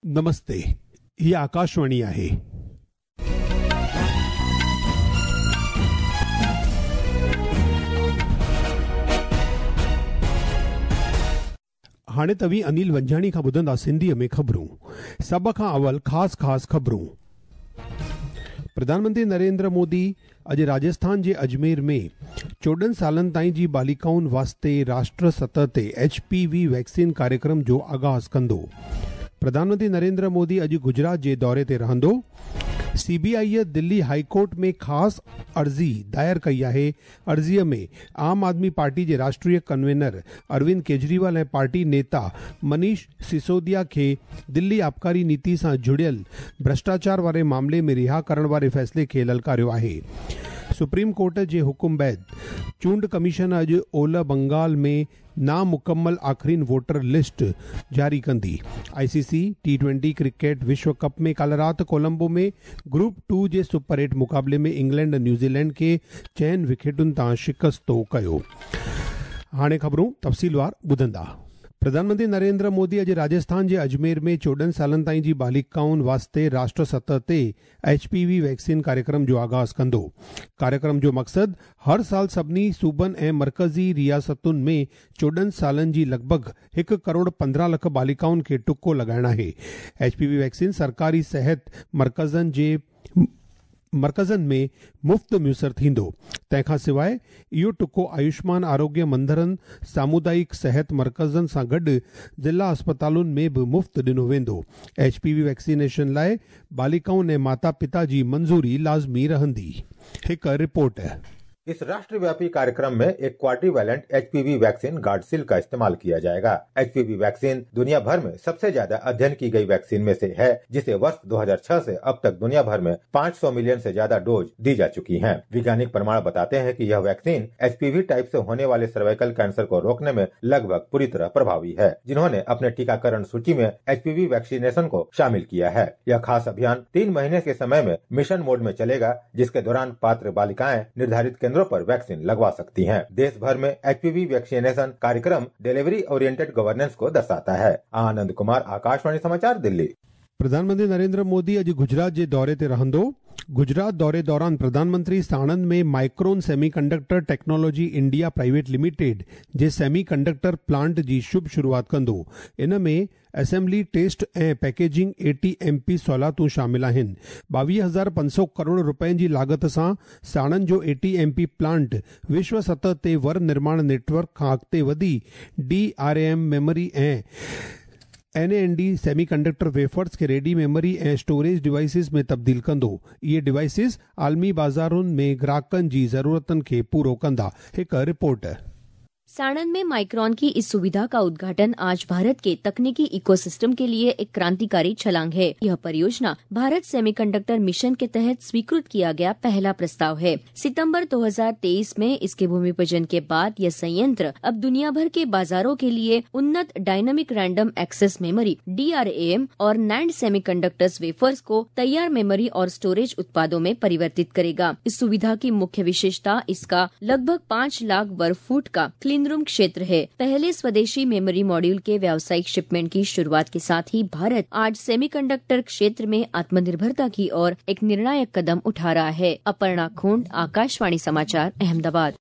نمستي، هي آڪاشواڻي آهي. هاڻي توهين انيل ونجهاڻي کان ٻڌندا سنڌيء ۾ خبرون. سڀ کان اول خاص خاص خبرون. پرڌان منتري نريندر مودي اڄ راجسٿان جي اجمير ۾ 14 سالن تائين جي بالڪائن واسطي راشٽر سطح تي ايڇ پي وي ويڪسين ڪاريڪرم جو آغاز ڪندو. پرڌان منتري نريندر مودي اڄ گجرات جي دوري تي رهندو. سي بي آئيء دلي هائي ڪورٽ ۾ خاص عرضي دائر ڪئي آهي. عرضيء ۾ عام آدمي پارٽي جي راشٽريه ڪنوينر اروند ڪيجريوال ۽ پارٽي نيتا منيش سسوديا کي دلي آبڪاري نيتي سان جڙيل ڀرشٽاچار واري معاملي ۾ رها ڪرڻ واري فيصلي کي للڪاريو آهي. سپريم ڪورٽ جي حڪم بعد چونڊ ڪميشن اڄ اولهه بنگال ۾ نامڪمل آخرين ووٽر لسٽ جاري ڪندي. I C C T twenty cricket وشو ڪپ ۾ ڪالهه رات ڪولمبو ۾ گروپ ٽو جي سپر ايٽ مقابلي ۾ انگلينڊ نيوزيلينڊ کي چئن وڪيٽن تان شڪست ڪيو. هاڻي خبرون تفصيلوار ٻڌندا. پرڌان منتري نريندر مودي اڄ راجسٿان جي اجمير ۾ 14 سالن تائين جي بالڪائن واسطي راشٽر سطح تي ايڇ پي وي ويڪسين ڪاريڪرم جو آغاز ڪندو. ڪاريڪرم جو مقصد هر سال سڀني صوبن ۽ مرڪزي رياستن ۾ 14 سالن جي لڳ ڀڳ هڪ ڪروڙ 15 لک بالڪائن کي ٽڪو لڳائڻ آهي. ايڇ پي وي ويڪسين سرڪاري صحت مرڪزن جي مرڪزن ۾ مفت ميسر ٿيندو. تنهن کان سواء اهو ٽڪو آيوشمان آروگيه مندرن، سامودائڪ صحت مرڪزن سان گڏ ضلع اسپتالن ۾ به مفت ڏنو ويندو. ايڇ پي وي ويڪسينيشن لاء بالڪائن ۽ ماتا پتا جي منظوري لازمي رهندي. هڪ رپورٽ. इस राष्ट्रव्यापी कार्यक्रम में एक क्वाड्रीवैलेंट एचपीवी वैक्सीन गार्डसिल का इस्तेमाल किया जाएगा। एचपीवी वैक्सीन दुनिया भर में सबसे ज्यादा अध्ययन की गई वैक्सीन में से है, जिसे वर्ष 2006 से अब तक दुनिया भर में 500 मिलियन से ज्यादा डोज दी जा चुकी हैं। वैज्ञानिक प्रमाण बताते हैं कि यह वैक्सीन एचपीवी टाइप से होने वाले सर्वाइकल कैंसर को रोकने में लगभग पूरी तरह प्रभावी है, जिन्होंने अपने टीकाकरण सूची में एचपीवी वैक्सीनेशन को शामिल किया है। यह खास अभियान 3 महीने के समय में मिशन मोड में चलेगा, जिसके दौरान पात्र बालिकाएं निर्धारित केंद्रों पर वैक्सीन लगवा सकती हैं। देश भर में एचपीवी वैक्सीनेशन कार्यक्रम डिलीवरी ओरिएंटेड गवर्नेंस को दर्शाता है। आनंद कुमार, आकाशवाणी समाचार, दिल्ली। प्रधानमंत्री नरेंद्र मोदी अॼु गुजरात जे दौरे ते रहंदो। गुजरात दौरे दौरान प्रधानमंत्री साणंद में Micron semiconductor technology India private limited जे सेमी कंडक्टर प्लांट जी शुभ शुरुआत कंदो। इन में असेंबली, टेस्ट ऐं packaging A T M P सहूलियतूं शामिल आहिनि। 22,500 करोड़ रुपयनि जी लागत सां साणंद जो A T M P plant विश्व सतह ते वर निर्माण नेटवर्क खां अॻिते वधी डी आर एम मेमोरी ऐं N A N D semiconductor wafers खे रेडी मेमोरी ऐं स्टोरेज डिवाइसिस में तब्दील कंदो। इहे डिवाइसिस आलमी बाज़ारुनि में ग्राहकनि जी ज़रूरतुनि खे पूरो कंदा। हिकु रिपोर्ट। साणंद में माइक्रॉन की इस सुविधा का उद्घाटन आज भारत के तकनीकी इकोसिस्टम के लिए एक क्रांतिकारी छलांग है। यह परियोजना भारत सेमीकंडक्टर मिशन के तहत स्वीकृत किया गया पहला प्रस्ताव है। सितंबर 2023 में इसके भूमि पूजन के बाद यह संयंत्र अब दुनिया भर के बाजारों के लिए उन्नत dynamic random access memory DRAM और नैंड सेमीकंडक्टर्स वेफर्स को तैयार मेमोरी और स्टोरेज उत्पादों में परिवर्तित करेगा। इस सुविधा की मुख्य विशेषता इसका लगभग 5 लाख वर्ग फुट का क्लीन रूम क्षेत्र है। पहले स्वदेशी मेमोरी मॉड्यूल के व्यावसायिक शिपमेंट की शुरुआत के साथ ही भारत आज सेमीकंडक्टर क्षेत्र में आत्मनिर्भरता की ओर एक निर्णायक कदम उठा रहा है। अपर्णा खोंड, आकाशवाणी समाचार, अहमदाबाद।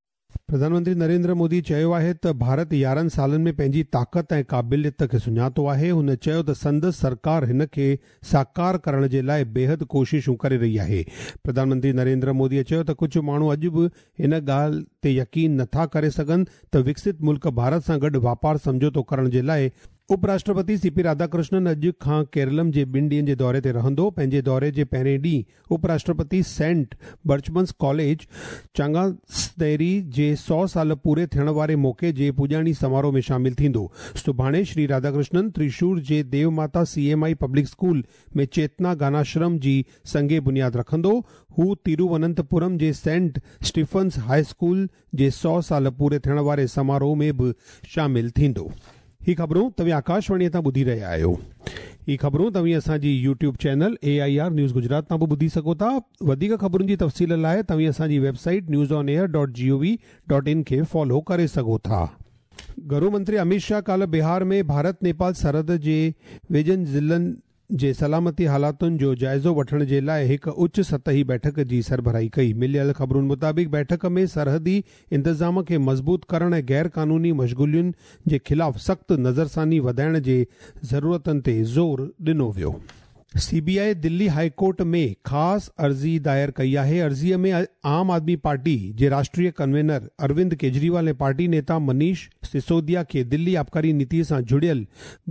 प्रधानमंत्री नरेंद्र मोदी चयो आहे त भारत 11 सालनि में पंहिंजी ताक़त ऐं क़ाबिलियत खे सुञातो आहे। हुन चयो त संदसि सरकार हिन खे साकार करण जे लाइ बेहद कोशिशूं करे रही आहे। प्रधानमंत्री नरेंद्र मोदीअ चयो त कुझु माण्हू अॼु बि हिन ॻाल्हि ते यकीन नथा करे सघनि त विकसित मुल्क भारत सां गॾु वापार सम्झौतो करण जे लाइ उपराष्ट्रपति सीपी राधाकृष्णन अॼु खां केरलम जे 2 ॾींहनि जे दौरे ते रहंदो। पंहिंजे दौरे जे पहिरें ॾींहुं उपराष्ट्रपति सेंट बर्चमन्स कॉलेज चांगास्तेरी जे 100 साल पूरे थियण वारे मौक़े जे पुॼाणी समारोह में शामिल थींदो। सुभाणे श्री राधाकृष्णन त्रिशूर जे देवमाता सीएमआई पब्लिक स्कूल में चेतना गानाश्रम जी संगे बुनियाद रखंदो। हू तिरुवनंतपुरम जे सेंट स्टीफन्स हाई स्कूल जे 100 साल पूरे थियण वारे समारोह में बि शामिल थींदो। ही ख़बरूं तव्हीं आकाशवाणीअ तां ॿुधी रहिया आहियो। ही ख़बरूं तव्हीं असांजी YouTube channel AIR news Gujarat तां बि ॿुधी सघो था। वधीक ख़बरुनि जी तफ़सील लाइ तव्हीं असांजी वेबसाइट newsonair.gov.in खे फॉलो करे सघो था। घरू मंत्री अमित शाह काल्ह बिहार में भारत नेपाल सरहद जे वेझनि ज़िलनि جي سلامتي حالاتن جو جائزو وٺڻ جي لاء هڪ اچ سطحي بيٺڪ جي سربراهي ڪئي. مليل خبرن مطابق بيٺڪ ۾ سرحدي انتظام کي مضبوط ڪرڻ ۽ غير قانوني مشغولين جي خلاف سخت نظرثاني وڌائڻ جي ضرورتن تي زور ڏنو ويو. C B I Delhi high court ۾ خاص عرضي دائر ڪئي آهي. عرضي ۾ عام آدمي پارٽي جي راشٽريه ڪنوينر اروند ڪيجريوال ۽ پارٽي نيتا منيش سسوديا کي دلي آبڪاري نيتي سان جڙيل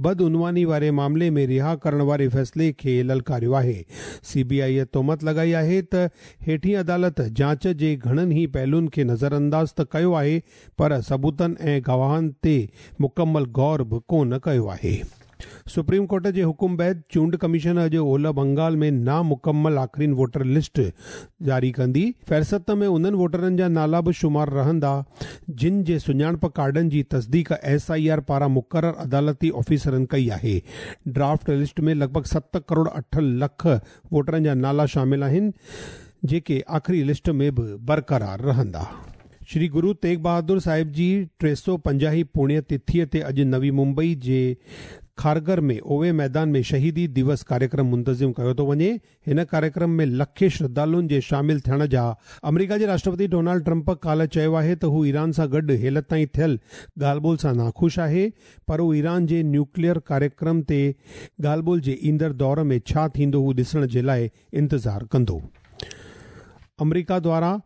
بدعنواني واري معاملي ۾ رها ڪرڻ واري فيصلي کي للڪاريو آهي. سي بي آء تهمت لڳائي آهي ته هيٺين عدالت جاچ جي گهڻن ئي پهلوئن کي نظرانداز ته ڪيو آهي پر ثبوتن ۽ گواهن تي مڪمل غور به ڪونه ڪيو آهي. سپريم ڪورٽ جي حڪم بعد چونڊ ڪميشن اڄ اولهه بنگال ۾ نامڪمل آخرين ووٽر لسٽ جاري ڪندي. فهرست ۾ انهن ووٽرن جا نالا به شمار رهندا، جن جي سڃاڻپ ڪارڊن جي تصديق ايس I R پاران مقرر عدالتي آفيسرن ڪئي آهي. ڊرافٽ لسٽ ۾ لڳ ڀڳ 7 ڪروڙ 8 لک ووٽرن جا نالا شامل آهن، جيڪي آخري لسٽ ۾ به برقرار رهندا. شري گرو تيغ بهادر صاحب جي 350 هين پڻيه تٿيء تي اڄ نوي ممبئي جي کارگر ۾ اووي ميدان ۾ شهيدي ديوس ڪاريڪرم منتظم ڪيو ٿو وڃي. هن ڪاريڪرم ۾ لکين شرڌالن جي شامل ٿيڻ جا آمريڪا جي راشٽرپتي ڊونالڊ ٽرمپ ڪالهه چيو آهي ته هو ايران سان گڏ هيل تائين ٿيل ڳالهه ٻولهه سان ناخوش آهي پر هو ايران جي نيوڪليئر ڪاريڪرم تي ڳالهه ٻولهه جي ايندڙ دور ۾ ڇا ٿيندو هو ڏسڻ جي لاء انتظار ڪندو. آمريڪا دواران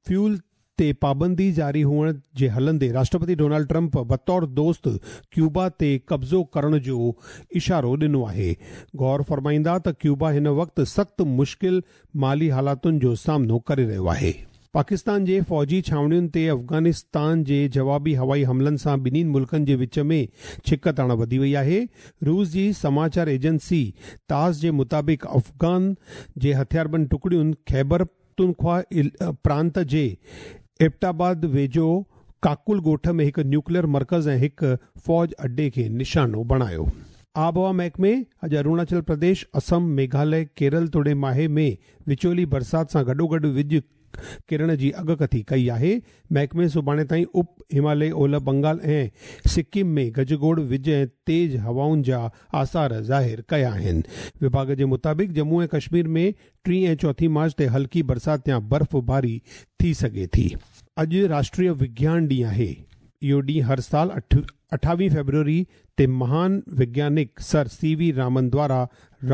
فيول تي پابندي جاري هئڻ جي هلندي راشٽرپتي ڊونالڊ ٽرمپ بطور دوست ڪيوبا تي قبضو ڪرڻ جو اشارو ڏنو آهي. غور فرمائيندا ته ڪيوبا هن وقت سخت مشڪل مالي حالاتن جو سامنو ڪري رهيو آهي. پاڪستان جي فوجي ڇانوڻين تي افغانستان جي جوابي هوائي حملن سان ٻنهي ملڪن جي وچ ۾ ڇڪتاڻ وڌي وئي آهي. روس جي سماچار ايجنسي تاس جي مطابق افغان جي هٿياربند ٽڪڙين خيبر پختونخوا پرانت جي ايبٽ آباد ويجهو ڪاڪول ڳوٺ ۾ هڪ نيوڪليئر مرڪز ۽ هڪ فوج اڏي کي نشانو بڻايو. آبهوا محڪمي اڄ اروناچل پرديش، اسم، ميگهاليه، ڪيرل توڙي ماهي ۾ وچولي برسات سان گڏوگڏ وڄ ڪرڻ جي اڳڪٿي ڪئي آهي. محڪمي سڀاڻي تائين اپ همالئي اولهه بنگال ۽ سڪم ۾ گجگوڙ، وڄ ۽ تيز هوائن جا آثار ظاهر ڪيا آهن. وڀاڳ جي مطابق ڄمون ۽ ڪشمير ۾ ٽين ۽ چوٿين مارچ تي هلڪي برسات يا برفباري ٿي سگهي ٿي. اڄ راشٽريه وگيان ڏينهن آهي. اهو ڏينهن هر سال 28 فيبروري تي مهان وگيانڪ سر سي وي رامن دوارا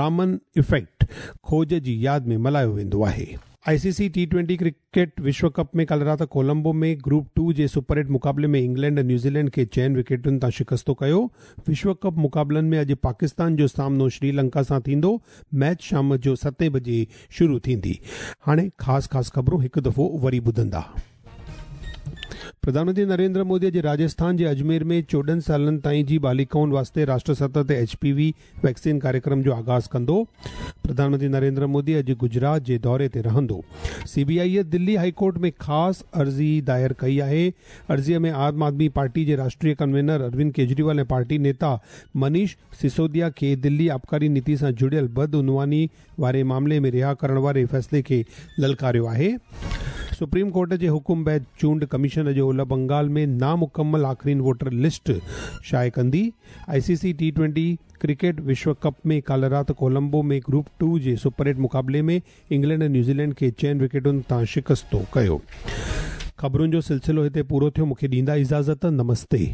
رامن افيڪٽ کوج جي ياد ۾ ملهايو ويندو آهي. I C C T twenty cricket وشو ڪپ ۾ ڪالهه رات ڪولمبو ۾ گروپ ٽو جي سپر ايٽ مقابلي ۾ انگلينڊ ۽ نيوزيلينڊ کي چئن وڪيٽن تان شڪستو ڪيو. وشو ڪپ مقابلن ۾ اڄ پاڪستان جو سامنو شري لنڪا سان ٿيندو. ميچ شام جو ستين بجي شروع ٿيندي. هاڻي خاص خاص خبرون هڪ دفعو وري ٻڌندا. پرڌان منتري نريندر مودي اڄ راجسٿان جي اجمير ۾ 14 سالن تائين جي بالڪائن واسطي راشٽر سطح تي ايڇ پي وي ويڪسين ڪاريڪرم جو آغاز ڪندو. پرڌان منتري نريندر مودي اڄ گجرات جي دوري تي رهندو. C B I Delhi high court ۾ خاص عرضي دائر ڪئي آهي. عرضي ۾ عام آدمي پارٽي جي راشٽريه ڪنوينر اروند ڪيجريوال ۽ پارٽي نيتا منيش سسوديا کي دلي آبڪاري نيتي سان جڙيل بدعنواني واري معاملي ۾ رها ڪرڻ واري فيصلي کي للڪاريو آهي. سپريم ڪورٽ جي حڪم بعد چونڊ ڪميشن اڄ اولهه بنگال ۾ نامڪمل آخرين ووٽر لسٽ شايع ڪندي. I C C T twenty cricket وشو ڪپ ۾ ڪالهه رات ڪولمبو ۾ گروپ ٽو جي سپر ايٽ مقابلي ۾ انگلينڊ ۽ نيوزيلينڊ کي چئن وڪيٽن تان شڪستو ڪيو. خبرن جو سلسلو هتي پورو ٿيو مونکي ڏيندا اجازت نمستي.